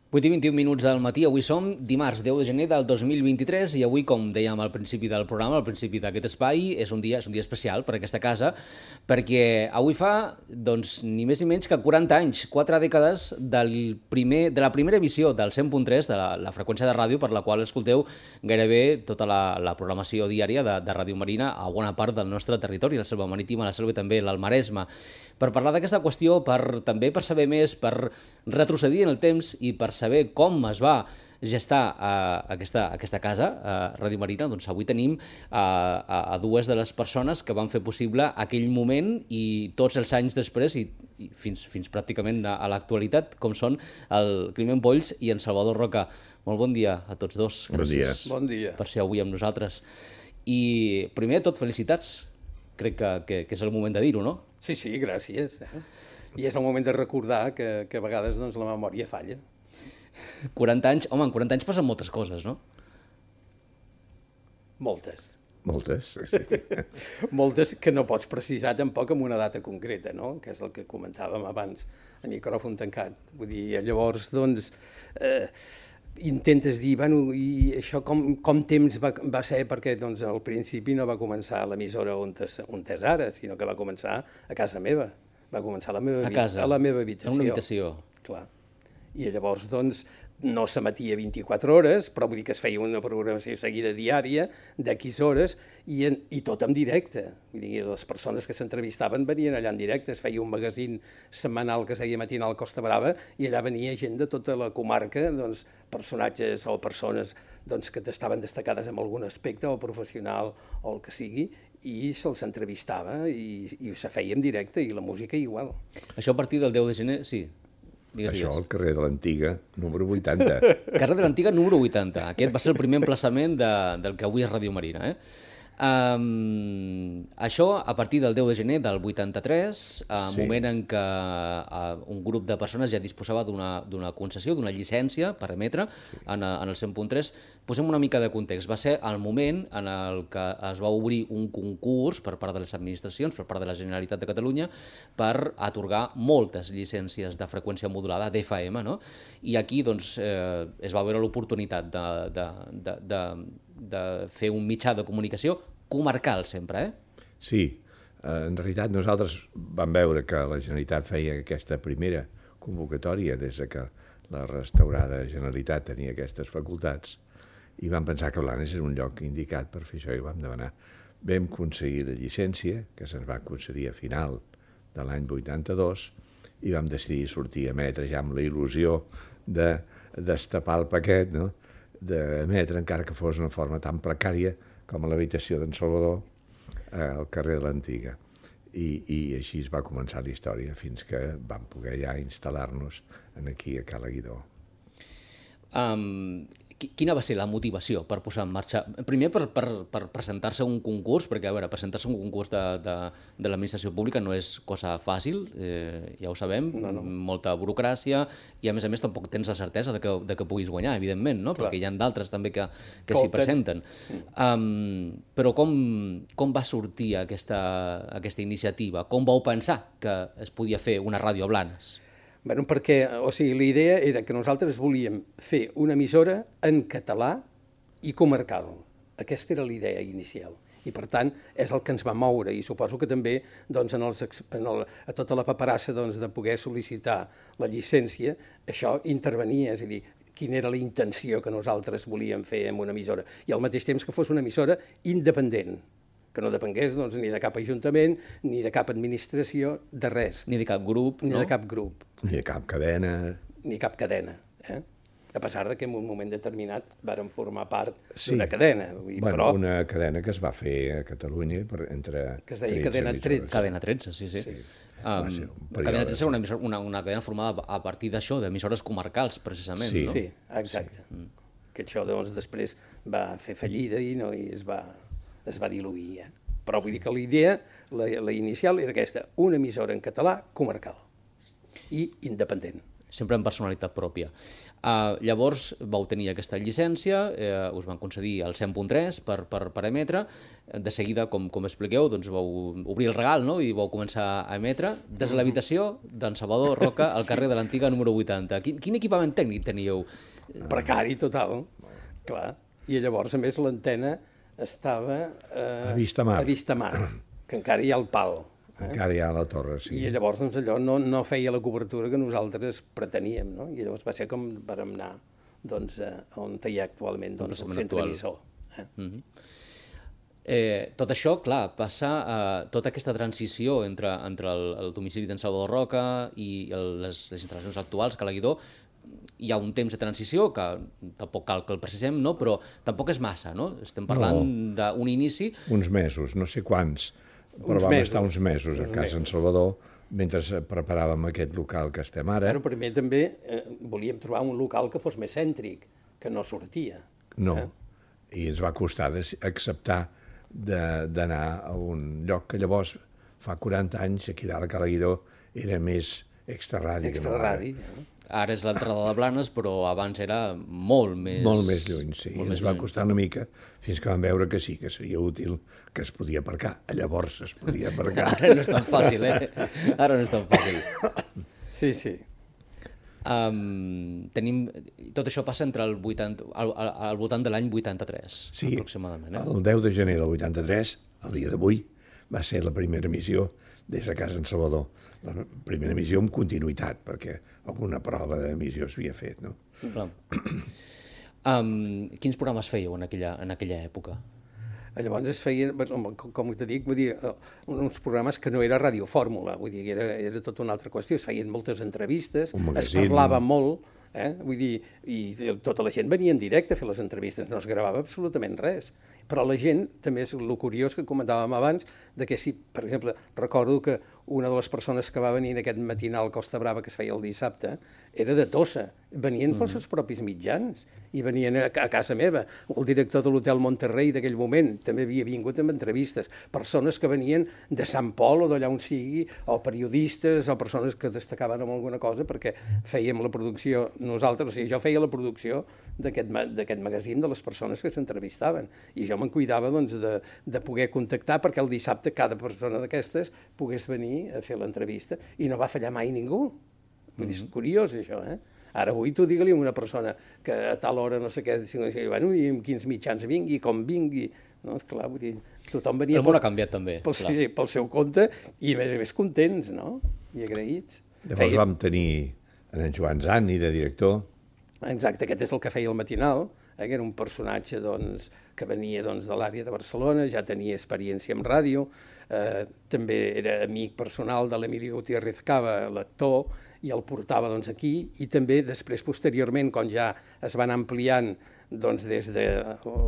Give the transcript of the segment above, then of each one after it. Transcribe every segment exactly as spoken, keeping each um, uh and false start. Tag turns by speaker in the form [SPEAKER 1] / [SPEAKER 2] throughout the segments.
[SPEAKER 1] vuit i vint-i-un minuts del matí, avui som dimarts deu de gener del dos mil vint-i-tres i avui, com dèiem al principi del programa, al principi d'aquest espai, és un dia, és un dia especial per a aquesta casa, perquè avui fa, doncs, ni més ni menys que quaranta anys, quatre dècades del primer, de la primera emissió del cent punt tres, de la, la freqüència de ràdio per la qual escolteu gairebé tota la, la programació diària de, de Ràdio Marina a bona part del nostre territori, la Selva Marítima, la Selva i també l'Alt Maresme. Per parlar d'aquesta qüestió, per, també per saber més, per retrocedir en el temps i per saber com es va gestar uh, aquesta, aquesta casa, uh, Ràdio Marina, doncs avui tenim uh, a, a dues de les persones que van fer possible aquell moment i tots els anys després i, i fins, fins pràcticament a, a l'actualitat, com són el Climent Polls i en Salvador Roca. Molt bon dia a tots dos.
[SPEAKER 2] Gràcies
[SPEAKER 3] bon dia.
[SPEAKER 1] Per ser avui amb nosaltres. I primer de tot, felicitats. Crec que, que, que és el moment de dir-ho, no?
[SPEAKER 3] Sí, sí, gràcies. Eh? I és el moment de recordar que, que a vegades doncs, la memòria falla.
[SPEAKER 1] quaranta anys, home, en quaranta anys passen moltes coses, no?
[SPEAKER 3] Moltes.
[SPEAKER 2] Moltes. Sí.
[SPEAKER 3] Moltes que no pots precisar tampoc amb una data concreta, no? Que és el que comentàvem abans, a micròfon tancat. Vull dir, llavors, doncs, eh, intentes dir, bueno, i això com, com temps va, va ser, perquè doncs, al principi no va començar a l'emissora on, on és ara, sinó que va començar a casa meva. Va començar a la meva,
[SPEAKER 1] a casa,
[SPEAKER 3] a la meva habitació.
[SPEAKER 1] En una habitació.
[SPEAKER 3] Clar. I llavors, doncs, no s'emetia vint-i-quatre hores, però vull dir que es feia una programació seguida diària de X hores i, en, i tot en directe. Vull dir, les persones que s'entrevistaven venien allà en directe, es feia un magazín setmanal que es deia Matinal Costa Brava i allà venia gent de tota la comarca, doncs, personatges o persones doncs, que estaven destacades en algun aspecte, o professional o el que sigui, i se'ls entrevistava i, i se feia en directe, i la música igual.
[SPEAKER 1] Això a partir del deu de gener, sí. Digues,
[SPEAKER 2] Això
[SPEAKER 1] digues.
[SPEAKER 2] al carrer de l'Antiga, número vuitanta.
[SPEAKER 1] Carrer de l'Antiga, número vuitanta. Aquest va ser el primer emplaçament de, del que avui és Ràdio Marina, eh? Um, això a partir del deu de gener del vuitanta-tres, uh, sí. Moment en què uh, un grup de persones ja disposava d'una concessió, d'una llicència per emetre, sí. en, en el cent punt tres. Posem una mica de context. Va ser el moment en el que es va obrir un concurs per part de les administracions, per part de la Generalitat de Catalunya, per atorgar moltes llicències de freqüència modulada d'F M, no? I aquí doncs, eh, es va veure l'oportunitat de, de, de, de de fer un mitjà de comunicació comarcal sempre, eh?
[SPEAKER 2] Sí, en realitat nosaltres vam veure que la Generalitat feia aquesta primera convocatòria des de que la restaurada Generalitat tenia aquestes facultats i vam pensar que Blanes era un lloc indicat per fer això i vam demanar. Vam aconseguir la llicència, que se'ns va concedir a final de l'any vuitanta-dos, i vam decidir sortir a emetre ja amb la il·lusió de destapar el paquet, no?, d'emetre, encara que fos d'una forma tan precària com a l'habitació d'en Salvador, eh, al carrer de l'Antiga. I, I així es va començar la història, fins que vam poder ja instal·lar-nos aquí a Cala Guidó.
[SPEAKER 1] Um, quina va ser la motivació per posar en marxa? Primer, per, per, per presentar-se a un concurs, perquè, a veure, presentar-se a un concurs de, de, de l'administració pública no és cosa fàcil, eh, ja ho sabem, no, no. Molta burocràcia, i a més a més tampoc tens la certesa de que, de que puguis guanyar, evidentment, no? Perquè hi ha d'altres també que, que s'hi presenten. Um, però com, com va sortir aquesta, aquesta iniciativa? Com vau pensar que es podia fer una ràdio a Blanes?
[SPEAKER 3] Bueno, perquè, o sigui, la idea era que nosaltres volíem fer una emissora en català i comarcal. Aquesta era la idea inicial. I, per tant, és el que ens va moure. I suposo que també, doncs, en els, en el, a tota la paperassa doncs, de poder sol·licitar la llicència, això intervenia, és a dir, quina era la intenció que nosaltres volíem fer amb una emissora. I al mateix temps que fos una emissora independent, que no depengués doncs, ni de cap ajuntament, ni de cap administració, de res.
[SPEAKER 1] Ni de cap grup,
[SPEAKER 3] ni
[SPEAKER 1] no?
[SPEAKER 3] Ni de cap grup.
[SPEAKER 2] Ni de cap cadena.
[SPEAKER 3] Ni cap cadena. Eh? A pesar de que en un moment determinat varen formar part
[SPEAKER 2] sí.
[SPEAKER 3] d'una cadena. Vull dir,
[SPEAKER 2] bueno,
[SPEAKER 3] però...
[SPEAKER 2] una cadena que es va fer a Catalunya per, entre
[SPEAKER 3] que es deia Cadena tretze.
[SPEAKER 1] Cadena tretze, sí, sí. sí. Um, Cadena tretze era una, una, una cadena formada a partir d'això, d'emissores comarcals, precisament.
[SPEAKER 3] Sí,
[SPEAKER 1] no?
[SPEAKER 3] sí, exacte. Sí. Que això doncs, després va fer fallida i, no, i es va... es va diluir, eh? Però vull dir que la idea, la, la inicial, era aquesta, una emissora en català comarcal i independent.
[SPEAKER 1] sempre amb personalitat pròpia. Uh, llavors vau tenir aquesta llicència, eh, us van concedir el cent punt tres per, per, per emetre, de seguida, com, com expliqueu, doncs vau obrir el regal, no?, i vau començar a emetre des de l'habitació d'en Salvador Roca al carrer de l'Antiga número vuitanta. Quin, quin equipament tècnic teníeu?
[SPEAKER 3] Precari total, clar. I llavors, a més, l'antena estava eh,
[SPEAKER 2] a vista mar,
[SPEAKER 3] a vista mar, que encara hi ha el pal. Eh?
[SPEAKER 2] Encara hi ha la torre, sí.
[SPEAKER 3] I llavors doncs, allò no, no feia la cobertura que nosaltres preteníem, no? I llavors va ser com vam anar doncs, eh, on hi ha actualment doncs, el centre emissor. Eh?
[SPEAKER 1] Mm-hmm. eh, tot això, clar, passa a eh, tota aquesta transició entre, entre el, el domicili d'en Salvador Roca i el, les, les instal·lacions actuals, Ca l'Aguidó. Hi ha un temps de transició, que tampoc cal que el precisem, no? Però tampoc és massa, no? Estem parlant no. d'un inici...
[SPEAKER 2] Uns mesos, no sé quants, però
[SPEAKER 3] uns
[SPEAKER 2] vam
[SPEAKER 3] mesos.
[SPEAKER 2] estar uns mesos a casa en Salvador, mentre preparàvem aquest local que estem ara.
[SPEAKER 3] Però primer també eh, volíem trobar un local que fos més cèntric, que no sortia.
[SPEAKER 2] No,
[SPEAKER 3] eh?
[SPEAKER 2] i ens va costar acceptar d'anar a un lloc que llavors, fa quaranta anys, aquí dalt a Ca l'Aguidó, era més extraradi.
[SPEAKER 3] Extraradi,
[SPEAKER 2] no?
[SPEAKER 3] eh?
[SPEAKER 1] Ara és l'entrada de Blanes, però abans era molt més...
[SPEAKER 2] Molt més lluny, sí.
[SPEAKER 1] Molt
[SPEAKER 2] Ens va costar una mica fins que vam veure que sí, que seria útil, que es podia aparcar. Llavors es podia aparcar.
[SPEAKER 1] Ara no és tan fàcil, eh? Ara no és tan fàcil.
[SPEAKER 3] Sí, sí.
[SPEAKER 1] Um, tenim... Tot això passa entre el vuitanta, al, al, al voltant de l'any vuitanta-tres,
[SPEAKER 2] sí,
[SPEAKER 1] aproximadament. Eh?
[SPEAKER 2] El deu de gener del vuitanta-tres, el dia d'avui, va ser la primera emissió des de casa en Salvador. La primera emissió amb continuïtat, perquè alguna prova d'emissió s'havia fet, no?
[SPEAKER 1] Clar. Um, quins programes fèieu en aquella, en aquella època?
[SPEAKER 3] Llavors es feien, com te dic, vull dir, uns programes que no era radiofórmula, vull dir, era, era tota una altra qüestió. Es feien moltes entrevistes, es parlava molt, eh? Vull dir, i tota la gent venia en directe a fer les entrevistes, no es gravava absolutament res. Però la gent, també és el curiós que comentàvem abans, de que si, per exemple, recordo que una de les persones que va venir en aquest matinal Costa Brava que es feia el dissabte era de Tossa, venien pels seus propis mitjans i venien a, a casa meva. El director de l'Hotel Monterrey d'aquell moment també havia vingut amb entrevistes. Persones que venien de Sant Pol o d'allà on sigui, o periodistes, o persones que destacaven en alguna cosa, perquè fèiem la producció nosaltres, o sigui, jo feia la producció d'aquest magazín de les persones que s'entrevistaven. I jo me'n cuidava doncs, de, de poder contactar perquè el dissabte cada persona d'aquestes pogués venir a fer l'entrevista i no va fallar mai ningú. Vull dir, és curiós això, eh? Ara avui tu digue-li a una persona que a tal hora no sé què, bueno, i amb quins mitjans vingui, com vingui, no? Esclar, vull dir, tothom venia...
[SPEAKER 1] El món ha canviat també.
[SPEAKER 3] Pel, sí, pel seu compte i a més a més contents, no? I agraïts.
[SPEAKER 2] Llavors feia... vam tenir en Joan Zani de director.
[SPEAKER 3] Exacte, aquest és el que feia el matinal, eh, que era un personatge doncs, que venia doncs, de l'àrea de Barcelona, ja tenia experiència en ràdio, eh, també era amic personal de l'Emilio Gutiérrez Cava, l'actor, i el portava doncs, aquí, i també després, posteriorment, quan ja es van ampliant doncs, des de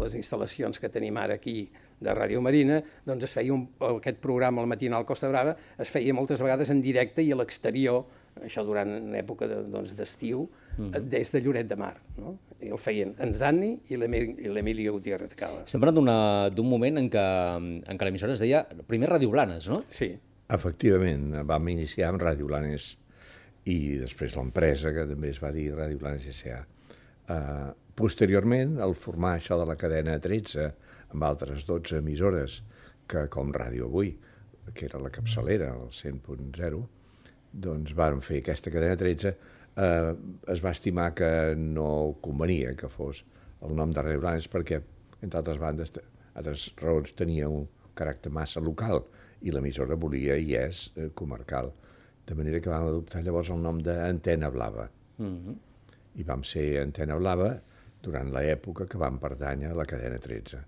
[SPEAKER 3] les instal·lacions que tenim ara aquí de Ràdio Marina, doncs es feia un, aquest programa, el matinal Costa Brava, es feia moltes vegades en directe i a l'exterior, això durant una època d'estiu, de, doncs, mm. des de Lloret de Mar. No? I el feien en Zanni i l'Emilio Gutiérrez Cava.
[SPEAKER 1] Estem parlant d'un moment en què, en què l'emissora es deia primer Ràdio Blanes, no?
[SPEAKER 3] Sí.
[SPEAKER 2] Efectivament, vam iniciar amb Ràdio Blanes i després l'empresa, que també es va dir Ràdio Blanes S A Uh, posteriorment, al formar això de la cadena tretze, amb altres dotze emissores, que com Ràdio Avui, que era la capçalera, el cent punt zero, doncs vam fer aquesta cadena tretze, eh, es va estimar que no convenia que fos el nom de Ràdio Blanes perquè, entre altres bandes, altres raons, tenia un caràcter massa local i l'emissora volia i és eh, comarcal. De manera que vam adoptar llavors el nom d'Antena Blava. Mm-hmm. I vam ser Antena Blava durant l'època que vam pertànyer a la cadena tretze.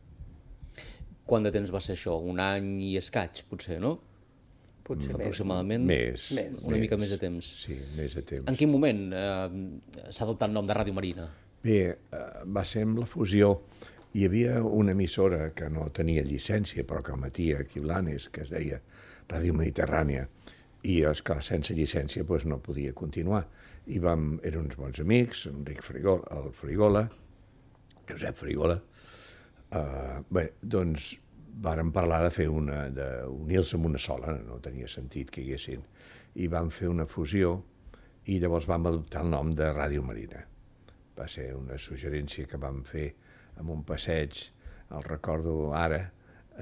[SPEAKER 1] Quant de temps va ser això? Un any i escaig, potser, no?
[SPEAKER 3] Potser
[SPEAKER 1] aproximadament.
[SPEAKER 2] Més.
[SPEAKER 1] més. Una més. mica més de temps.
[SPEAKER 2] Sí, més de temps.
[SPEAKER 1] En quin moment eh, s'ha adoptat el nom de Ràdio Marina?
[SPEAKER 2] Bé, eh, va ser amb la fusió. Hi havia una emissora que no tenia llicència, però que emetia aquí a Blanes, que es deia Ràdio Mediterrània, i, esclar, sense llicència doncs, no podia continuar. I vam, eren uns bons amics, Enric Frigola, el Frigola, Josep Frigola. Uh, bé, doncs vàrem parlar de fer una, d'unir-se amb una sola, no tenia sentit que hi haguessin. I vam fer una fusió i llavors vam adoptar el nom de Ràdio Marina. Va ser una suggerència que vam fer en un passeig, el recordo ara,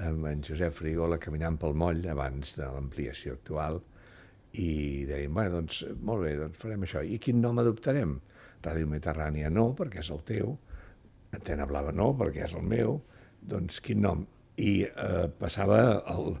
[SPEAKER 2] amb en Josep Frigola caminant pel moll abans de l'ampliació actual, i dèiem, bueno, doncs, molt bé, doncs farem això. I quin nom adoptarem? Ràdio Mediterrània no, perquè és el teu, Antena Blava no, perquè és el meu, doncs quin nom? I eh, passava el,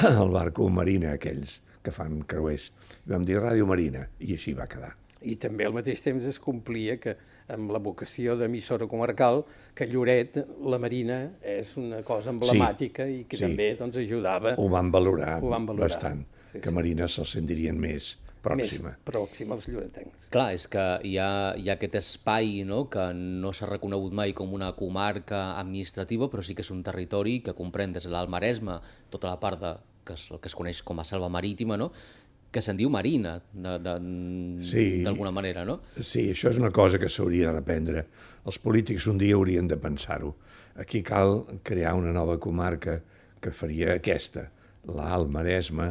[SPEAKER 2] el barco Marina, aquells que fan creuers. I vam dir Ràdio Marina, i així va quedar.
[SPEAKER 3] I també al mateix temps es complia que amb la vocació d'emissora comarcal, que Lloret, la Marina, és una cosa emblemàtica sí, i que sí. també doncs, ajudava...
[SPEAKER 2] Ho van valorar,
[SPEAKER 3] ho van valorar.
[SPEAKER 2] bastant,
[SPEAKER 3] sí,
[SPEAKER 2] que
[SPEAKER 3] sí.
[SPEAKER 2] Marina se'ls sentirien més pròxima.
[SPEAKER 3] Més pròxima als lloretencs.
[SPEAKER 1] Clar, és que hi ha, hi ha aquest espai, no?, que no s'ha reconegut mai com una comarca administrativa, però sí que és un territori que comprèn des de l'Alt Maresme, tota la part de, que es, el que es coneix com a selva marítima, no?, que se'n diu marina, d'alguna sí, manera, no?
[SPEAKER 2] Sí, això és una cosa que s'hauria de reprendre. Els polítics un dia haurien de pensar-ho. Aquí cal crear una nova comarca que faria aquesta, l'Alt Maresme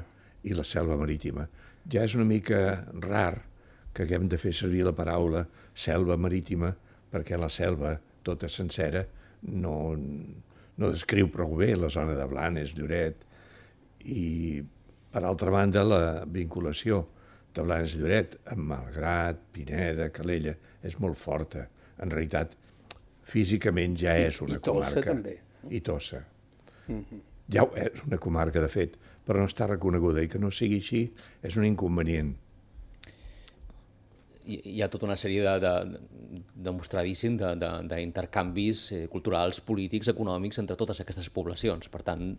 [SPEAKER 2] i la selva marítima. Ja és una mica rar que haguem de fer servir la paraula selva marítima perquè la selva, tota sencera, no, no descriu prou bé la zona de Blanes, Lloret, i per altra banda, la vinculació de Blanes i Lloret amb Malgrat, Pineda, Calella, és molt forta. En realitat, físicament ja és una
[SPEAKER 3] I, i Tossa,
[SPEAKER 2] comarca.
[SPEAKER 3] També.
[SPEAKER 2] I Tossa.
[SPEAKER 3] Mm-hmm.
[SPEAKER 2] Ja és una comarca, de fet, però no està reconeguda, i que no sigui així és un inconvenient.
[SPEAKER 1] Hi ha tota una sèrie de, de, demostradíssim d'intercanvis de, de, culturals, polítics, econòmics entre totes aquestes poblacions. Per tant,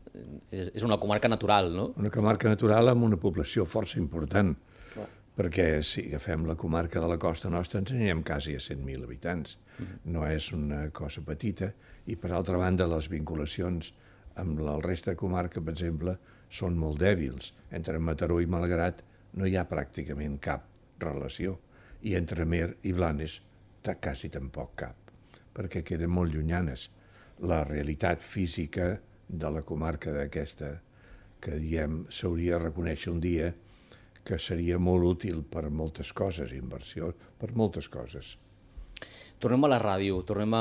[SPEAKER 1] és una comarca natural, no?
[SPEAKER 2] Una comarca natural amb una població força important, clar, perquè si agafem la comarca de la costa nostra ens anirem quasi a cent mil habitants. Mm-hmm. No és una cosa petita, i per altra banda les vinculacions amb el resta de comarca, per exemple, són molt dèbils. Entre Mataró i Malgrat no hi ha pràcticament cap relació. I entre Mer i Blanes quasi tampoc cap, perquè queden molt llunyanes. La realitat física de la comarca d'aquesta, que diem s'hauria de reconèixer un dia, que seria molt útil per moltes coses, inversió, per moltes coses.
[SPEAKER 1] Tornem a la ràdio, tornem a,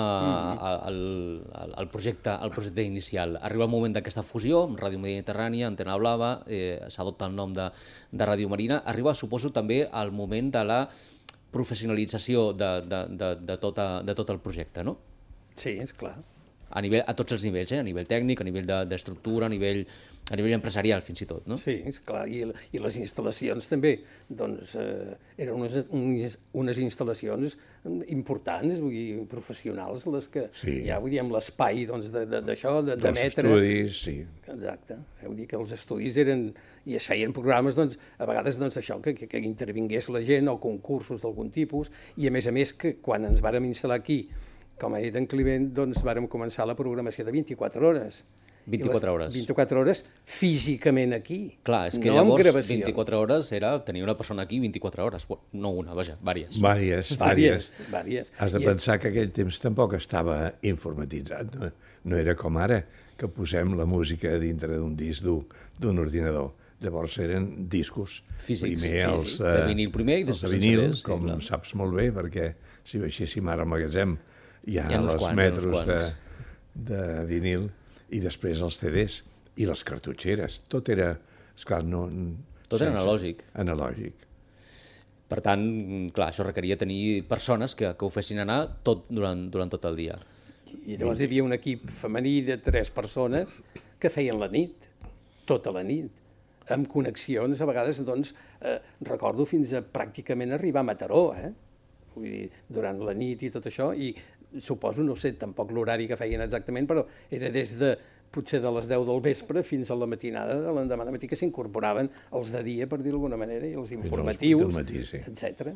[SPEAKER 1] a, al, al, projecte, al projecte inicial. Arriba el moment d'aquesta fusió, Ràdio Mediterrània, Antena Blava, eh, s'adopta el nom de, de Ràdio Marina. Arriba, suposo, també el moment de la professionalització de, de, de, de, tota, de tot el projecte, no?
[SPEAKER 3] Sí, és clar.
[SPEAKER 1] A, nivell, a tots els nivells, eh? A nivell tècnic, a nivell d'estructura, de, a, nivell, a nivell empresarial, fins i tot, no?
[SPEAKER 3] Sí, és clar, i, i les instal·lacions també, doncs, eh, eren unes, unes, unes instal·lacions importants, vull dir, professionals, les que sí. ja, vull dir, amb l'espai, doncs, d'això, d'emetre...
[SPEAKER 2] Dels estudis, sí.
[SPEAKER 3] Exacte, vull dir que els estudis eren, i es feien programes, doncs, a vegades, doncs, això, que, que, que intervingués la gent, o concursos d'algun tipus, i a més a més que quan ens vàrem instal·lar aquí, com ha dit en Climent, doncs vàrem començar la programació de vint-i-quatre hores.
[SPEAKER 1] vint-i-quatre hores.
[SPEAKER 3] vint-i-quatre hores físicament aquí.
[SPEAKER 1] Clar, és que
[SPEAKER 3] no
[SPEAKER 1] llavors vint-i-quatre hores era tenir una persona aquí vint-i-quatre hores. No una, vaja, vàries.
[SPEAKER 2] Vàries, vàries.
[SPEAKER 3] vàries.
[SPEAKER 2] Has de pensar que aquell temps tampoc estava informatitzat. No, no era com ara, que posem la música dintre d'un disc d'un ordinador. Llavors eren discos.
[SPEAKER 1] Físics,
[SPEAKER 2] primer els,
[SPEAKER 1] físics. De vinil primer i després
[SPEAKER 2] els de vinil,
[SPEAKER 1] C Ds,
[SPEAKER 2] com
[SPEAKER 1] sí,
[SPEAKER 2] saps molt bé, perquè si baixéssim ara al magatzem hi ha,
[SPEAKER 1] hi ha
[SPEAKER 2] els
[SPEAKER 1] quants,
[SPEAKER 2] metros de, de vinil, i després els C Ds i les cartutxeres. Tot era, esclar, no...
[SPEAKER 1] Tot era analògic.
[SPEAKER 2] Analògic.
[SPEAKER 1] Per tant, clar, això requeria tenir persones que, que ho fessin anar tot durant, durant tot el dia.
[SPEAKER 3] I llavors hi havia un equip femení de tres persones que feien la nit, tota la nit, amb connexions, a vegades, doncs, eh, recordo fins a pràcticament arribar a Mataró, eh? Vull dir, durant la nit i tot això, i suposo, no sé tampoc l'horari que feien exactament, però era des de, potser de les deu del vespre fins a la matinada de l'endemà de matí, que s'incorporaven els de dia, per dir-ho d'alguna manera, i els informatius,
[SPEAKER 2] matí, sí.
[SPEAKER 3] etcètera.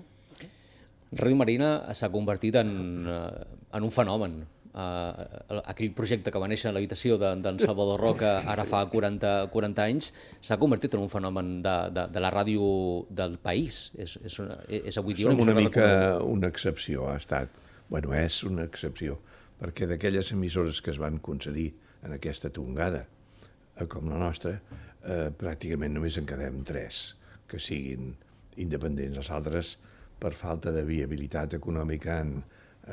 [SPEAKER 1] Ràdio Marina s'ha convertit en, en un fenomen. Uh, aquell projecte que va néixer a l'habitació d'en de, Salvador Roca ara fa quaranta, quaranta anys s'ha convertit en un fenomen de, de, de la ràdio del país. És, és, una, és avui dia
[SPEAKER 2] Som una mica una excepció, ha estat. Bueno, és una excepció, perquè d'aquelles emissores que es van concedir en aquesta tongada, com la nostra, eh, pràcticament només en quedem tres que siguin independents. Els altres per falta de viabilitat econòmica han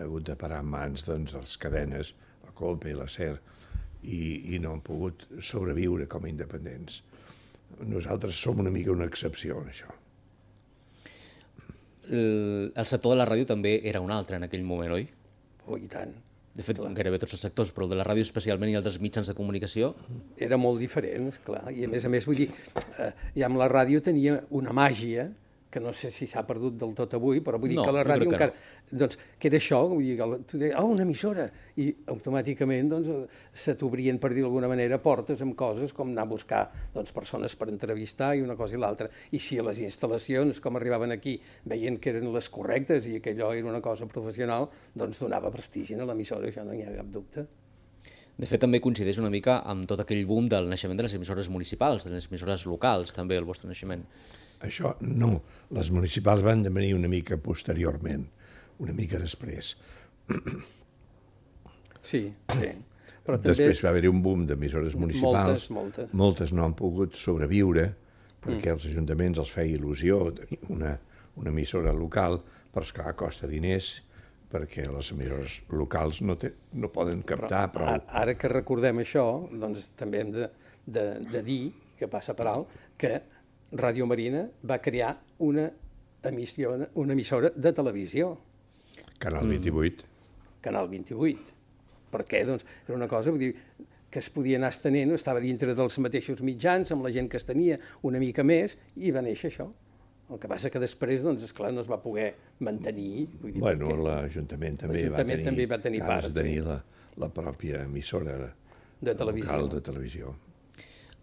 [SPEAKER 2] hagut de parar en mans doncs, de les cadenes, la Colpe i la SER, i, i no han pogut sobreviure com a independents. Nosaltres som una mica una excepció en això.
[SPEAKER 1] El, el sector de la ràdio també era un altre en aquell moment, oi?
[SPEAKER 3] Oh, i tant.
[SPEAKER 1] De fet, gairebé tots els sectors, però el de la ràdio especialment i el dels mitjans de comunicació...
[SPEAKER 3] Era molt diferent, esclar, i a més a més, vull dir, eh, ja amb la ràdio tenia una màgia que no sé si s'ha perdut del tot avui, però vull dir
[SPEAKER 1] no,
[SPEAKER 3] que la ràdio
[SPEAKER 1] que
[SPEAKER 3] encara...
[SPEAKER 1] No.
[SPEAKER 3] Doncs, que era això, vull dir, que tu deies, oh, una emissora, i automàticament doncs, se t'obrien, per dir d'alguna manera, portes amb coses com anar a buscar doncs, persones per entrevistar i una cosa i l'altra. I si a les instal·lacions, com arribaven aquí, veien que eren les correctes i que allò era una cosa professional, doncs donava prestigi a l'emissora, això no hi ha cap dubte.
[SPEAKER 1] De fet, també coincideix una mica amb tot aquell boom del naixement de les emissores municipals, de les emissores locals, també, el vostre naixement.
[SPEAKER 2] Això no. Les municipals van venir una mica posteriorment, una mica després.
[SPEAKER 3] Sí, sí. Però també...
[SPEAKER 2] Després va haver-hi un boom d'emissores municipals.
[SPEAKER 3] Moltes, moltes.
[SPEAKER 2] Moltes no han pogut sobreviure perquè mm. als ajuntaments els feia il·lusió tenir una, una emissora local, però esclar, costa diners, perquè les emissores locals no, té, no poden captar
[SPEAKER 3] però,
[SPEAKER 2] prou.
[SPEAKER 3] Ara que recordem això, doncs també hem de, de, de dir, que passa per alt, que Ràdio Marina va crear una, emissió, una emissora de televisió.
[SPEAKER 2] Canal vint-i-vuit.
[SPEAKER 3] Mm. Canal vint-i-vuit. Per què? Doncs era una cosa, vull dir, que es podia anar estenent, estava dintre dels mateixos mitjans, amb la gent que es tenia una mica més, i va néixer això. El que passa que després, doncs, esclar, no es va poder mantenir. Vull dir,
[SPEAKER 2] bueno, l'Ajuntament també, va tenir,
[SPEAKER 3] també va tenir part,
[SPEAKER 2] tenir
[SPEAKER 3] sí.
[SPEAKER 2] la, la pròpia emissora
[SPEAKER 3] de televisió.
[SPEAKER 2] local de televisió.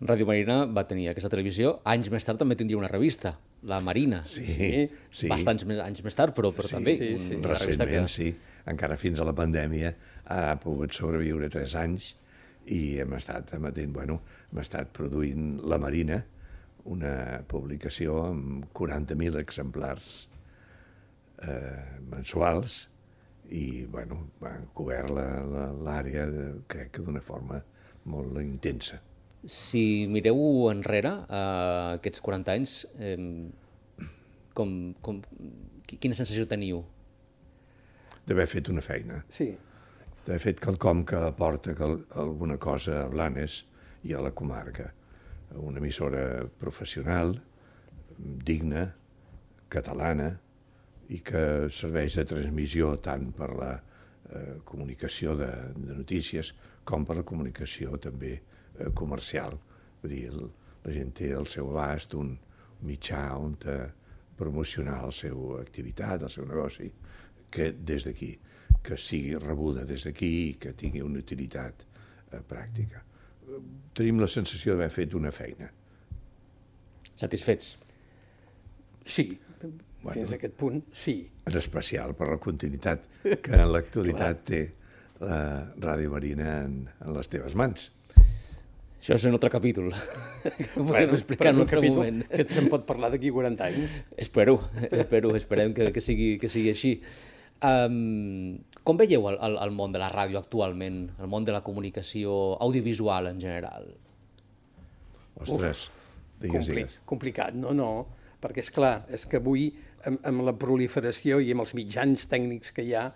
[SPEAKER 1] Ràdio Marina va tenir aquesta televisió. Anys més tard també tindria una revista, La Marina.
[SPEAKER 2] Sí, sí.
[SPEAKER 1] Bastants més, anys més tard, però, però
[SPEAKER 2] sí,
[SPEAKER 1] també.
[SPEAKER 3] Sí, sí.
[SPEAKER 1] Una revista que...
[SPEAKER 2] Recentment, sí. Encara fins a la pandèmia ha pogut sobreviure tres anys i hem estat emetent, bueno, hem estat produint La Marina, una publicació amb quaranta mil exemplars eh, mensuals i, bueno, han cobert l'àrea, crec que d'una forma molt intensa.
[SPEAKER 1] Si mireu enrere, eh, aquests quaranta anys, eh, com, com, quina sensació teniu?
[SPEAKER 2] D'haver fet una feina.
[SPEAKER 3] Sí.
[SPEAKER 2] D'haver fet quelcom que aporta alguna cosa a Blanes i a la comarca. Una emissora professional, digna, catalana, i que serveix de transmissió tant per la eh, comunicació de, de notícies com per la comunicació també eh, comercial. Vull dir, el, la gent té al seu abast un mitjà on promocionar la seva activitat, el seu negoci, que des d'aquí, que sigui rebuda des d'aquí i que tingui una utilitat eh, pràctica. Tenim la sensació d'haver fet una feina.
[SPEAKER 1] Satisfets?
[SPEAKER 3] Sí,
[SPEAKER 2] bueno,
[SPEAKER 3] fins a aquest punt, sí.
[SPEAKER 2] En especial per la continuïtat que en l'actualitat té la Ràdio Marina en, en les teves mans.
[SPEAKER 1] Això és un altre capítol. Podem
[SPEAKER 3] Bueno,
[SPEAKER 1] explicar en un altre
[SPEAKER 3] capítol
[SPEAKER 1] moment.
[SPEAKER 3] Que se'n pot parlar d'aquí quaranta anys.
[SPEAKER 1] Espero, espero, esperem que, que, sigui, que sigui així. Um, com veieu el, el, el món de la ràdio actualment, el món de la comunicació audiovisual en general?
[SPEAKER 2] Ostres, digues,
[SPEAKER 3] Compli
[SPEAKER 2] digues.
[SPEAKER 3] Complicat, no, no, perquè és clar, és que avui amb, amb la proliferació i amb els mitjans tècnics que hi ha,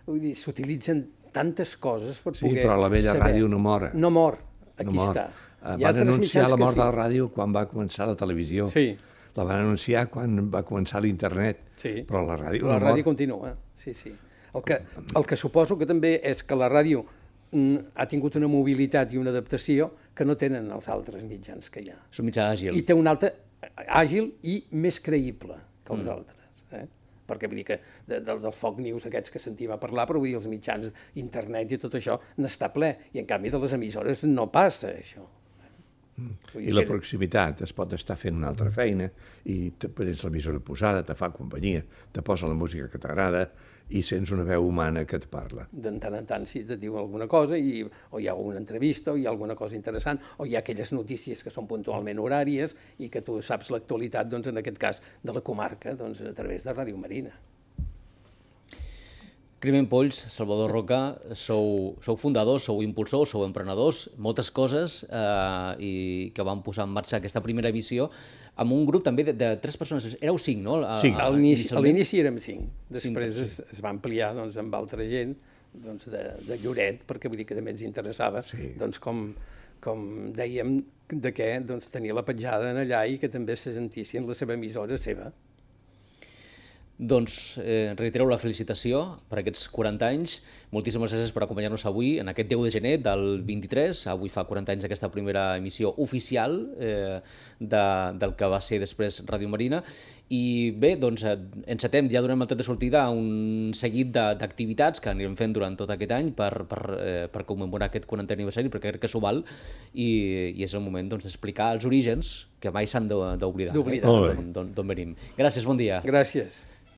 [SPEAKER 3] vull dir, s'utilitzen tantes coses per
[SPEAKER 2] Sí,
[SPEAKER 3] poder
[SPEAKER 2] però la vella
[SPEAKER 3] saber.
[SPEAKER 2] ràdio no mor.
[SPEAKER 3] No mor, aquí
[SPEAKER 2] no mor.
[SPEAKER 3] està.
[SPEAKER 2] Uh,
[SPEAKER 3] Hi ha
[SPEAKER 2] van
[SPEAKER 3] altres
[SPEAKER 2] anunciar
[SPEAKER 3] mitjans
[SPEAKER 2] la
[SPEAKER 3] que
[SPEAKER 2] mort
[SPEAKER 3] sí.
[SPEAKER 2] de la ràdio quan va començar la televisió.
[SPEAKER 3] Sí.
[SPEAKER 2] La van anunciar quan va començar l'internet,
[SPEAKER 3] Sí.
[SPEAKER 2] però la ràdio
[SPEAKER 3] la
[SPEAKER 2] no
[SPEAKER 3] ràdio
[SPEAKER 2] mor.
[SPEAKER 3] continua, sí, sí. El que, el que suposo que també és que la ràdio mm, ha tingut una mobilitat i una adaptació que no tenen els altres mitjans que hi ha.
[SPEAKER 1] És un mitjà àgil.
[SPEAKER 3] I té un altre àgil i més creïble que els mm. altres. Eh? Perquè vull dir que de, de, del Foc News aquests que sentim a parlar, però vull dir els mitjans internet i tot això n'està ple. I en canvi de les emissores no passa això.
[SPEAKER 2] I la proximitat, es pot estar fent una altra feina i te tens l'emissora posada, te fa companyia, te posa la música que t'agrada i sents una veu humana que et parla.
[SPEAKER 3] De tant en tant si te diu alguna cosa, i, o hi ha una entrevista, o hi ha alguna cosa interessant, o hi ha aquelles notícies que són puntualment horàries i que tu saps l'actualitat, doncs, en aquest cas, de la comarca, doncs, a través de Ràdio Marina.
[SPEAKER 1] Climent Polls, Salvador Roca, sou, sou fundadors, sou impulsors, sou emprenedors, moltes coses, eh, i que van posar en marxa aquesta primera edició amb un grup també de, de tres persones. Éreu cinc, no? A,
[SPEAKER 2] Cinc.
[SPEAKER 3] A l'inici a l'inici érem cinc. Després cinc, es, es va ampliar doncs, amb altra gent doncs, de, de Lloret, perquè vull dir que també ens interessava, sí. doncs, com, com dèiem, de què doncs, tenia la petjada en allà i que també se sentissin la seva emissora seva.
[SPEAKER 1] Doncs eh, reitereu la felicitació per aquests quaranta anys. Moltíssimes gràcies per acompanyar-nos avui en aquest deu de gener del vint-i-tres. Avui fa quaranta anys aquesta primera emissió oficial eh, de, del que va ser després Ràdio Marina. I bé, doncs eh, encetem, ja donem el tret de sortida a un seguit d'activitats que anirem fent durant tot aquest any per, per, eh, per commemorar aquest quarantè aniversari, perquè crec que s'ho val, i, i és el moment doncs, d'explicar els orígens que mai s'han d'oblidar,
[SPEAKER 3] d'oblidar
[SPEAKER 1] eh? d'on venim. Gràcies, bon dia.
[SPEAKER 3] Gràcies.